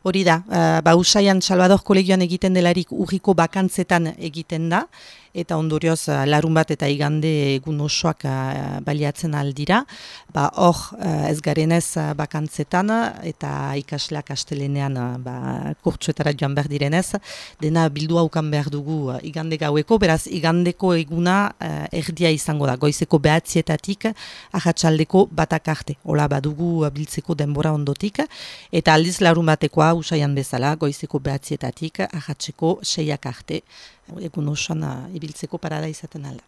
Hori da, Usaian Salvador kolegioan egiten delarik urriko bakantzetan egiten da, eta ondorioz larun bat eta igande egun osoak baliatzen aldira. Hor ez garenez bakantzetan eta ikasleak astelenean kurtsuetara joan behar direnez, dena bildu haukan behar dugu igande gaueko, beraz igandeko eguna erdia izango da, goizeko 9:00-etatik arratsaldeko 1 arte. Hola badugu biltzeko denbora ondotik, eta aldiz larun batekoa Usaian bezala, goizeko 9:00-etatik arratseko 6 arte. Egun osoan ibiltzeko parada izaten alda.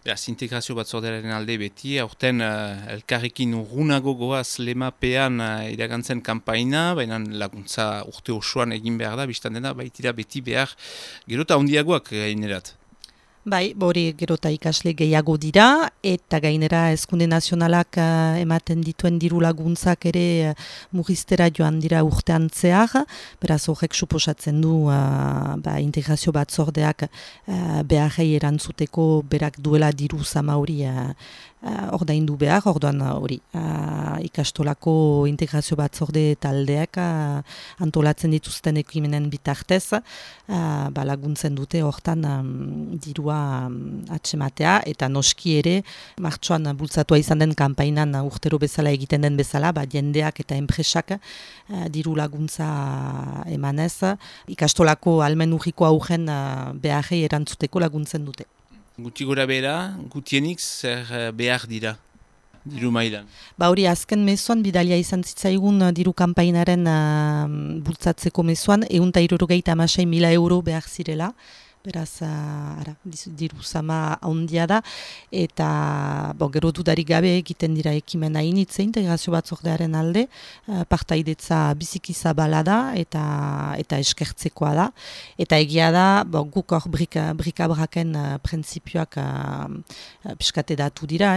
Beraz, integrazio batzordearen alde beti, aurten elkarrekin urrunago goaz lemapean iragantzen kanpaina, baina laguntza urte osoan egin behar da, biztan dena, baitira beti behar gerota handiagoak gainerat. Bai, hori gerota ikasle gehiago dira, eta gainera Hezkunde Nazionalak ematen dituen diru laguntzak ere murriztera joan dira urtean zehar, beraz horrek suposatzen du integrazio batzordeak beharrei erantzuteko berak duela diru zama hori ordaindu behar, orduan hori ikastolako integrazio batzorde taldeak antolatzen dituzten ekimenen bitartez laguntzen dute hortan dirua atsematea, eta noski ere martxoan bultzatua izan den kanpainan urtero bezala egiten den bezala, jendeak eta enpresak diru laguntza emanez ikastolako almen urriko augen beharrei erantzuteko laguntzen dute. Guti gora bera, gutienik zer behar dira, diru mailan? Hori azken mezuan, bidalia izan zitzaigun diru kanpainaren bultzatzeko mezuan, 176.000 euro behar zirela, beraz, diru zama handia da, eta gero dudarik gabe egiten dira ekimena initze integrazio batzordearen alde, partaidetza biziki zabala da, eta eskertzekoa da, eta egia da, guk hor brikabraken printzipioak piskate datu dira,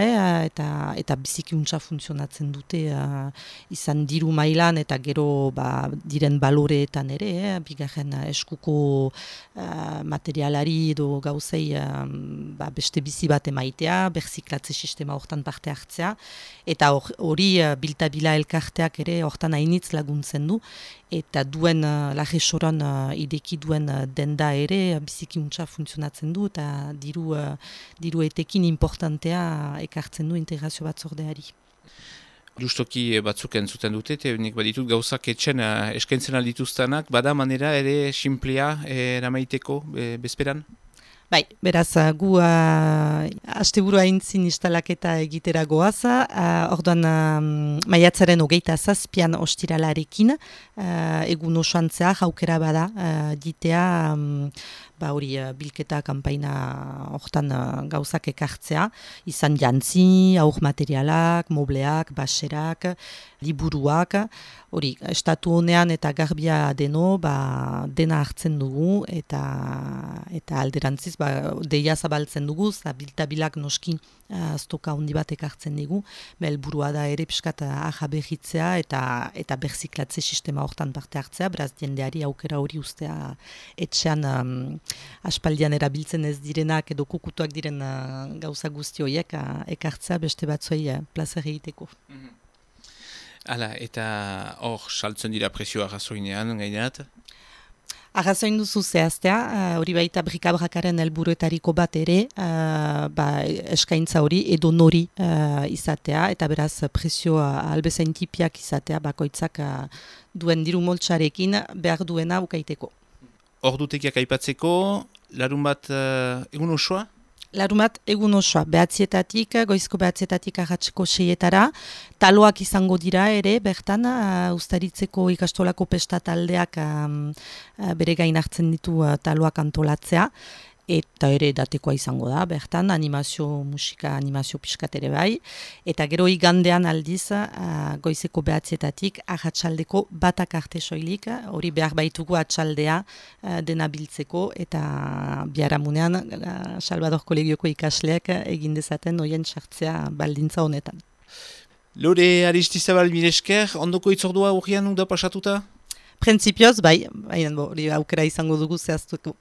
eta biziki untsa funtzionatzen dute izan diru mailan, eta gero diren baloreetan ere, bigarren eskuko materialari edo gauzei beste bizi bat emaitea, berziklatze sistema hortan parte hartzea, eta hori biltabila elkarteak ere hortan hainitz laguntzen du, eta duen lagesoran ideki duen denda ere biziki untsa funtzionatzen du, eta diru etekin importantea ekartzen du integrazio batzordeari. Justoki batzuk entzuten dute, eta nik baditut gauzak etxen eskaintzen aldituztenak, bada manera ere simplea eramaiteko bezperan? Bai, beraz, gu asteburu aintzin instalaketa egitera goaz, orduan maiatzaren 27 ostiralarekin, egun osoan zehar aukera bada ditea, hori bilketa kanpaina hortan gauzak ekartzea, izan jantzi, aur materialak, mobleak, baserak, liburuak, hori, estatu honean eta garbia deno, dena hartzen dugu, eta alderantziz, deia zabaltzen dugu, biltabilak noski stoka handi bat ekartzen dugu, helburua da ere piskat ahaberritzea eta berziklatze sistema hortan parte hartzea, beraz jendeari aukera hori ustea etxean aspaldian erabiltzen ez direnak edo kukutuak diren gauza guzti horiek ekartzea beste batzuei plazer egiteko. Hala, eta hor saltzen dira presioa gazoinean, gainerat? Arrazoin duzu zehaztea, hori baita brikabrakaren helburuetariko bat ere, eskaintza hori edo nori izatea, eta beraz presioa albezain tipiak izatea, bakoitzak duen diru moltsarekin behar duena ukaiteko. Ordutegiak aipatzeko, larun bat egun osoa? Larun bat egun osoa, 9:00-etatik, goizko 9:00-etatik arratseko 6:00-etara, taloak izango dira ere, bertan, Uztaritzeko ikastolako pesta taldeak bere gain hartzen ditu taloak antolatzea, eta ere datekoa izango da, bertan, musika animazio piskat ere bai, eta gero igandean aldiz, goizeko 9:00-etatik, arratsaldeko 1 arte soilik, hori behar baitugu atxaldea dena biltzeko, eta biharamunean Salvador kolegioko ikasleak egin dezaten hoien sartzea baldintza honetan. Lore Aristizabal miresker, ondoko itzordua urrian da pasatuta? Printzipioz, bai, hori aukera izango dugu zehaztuko.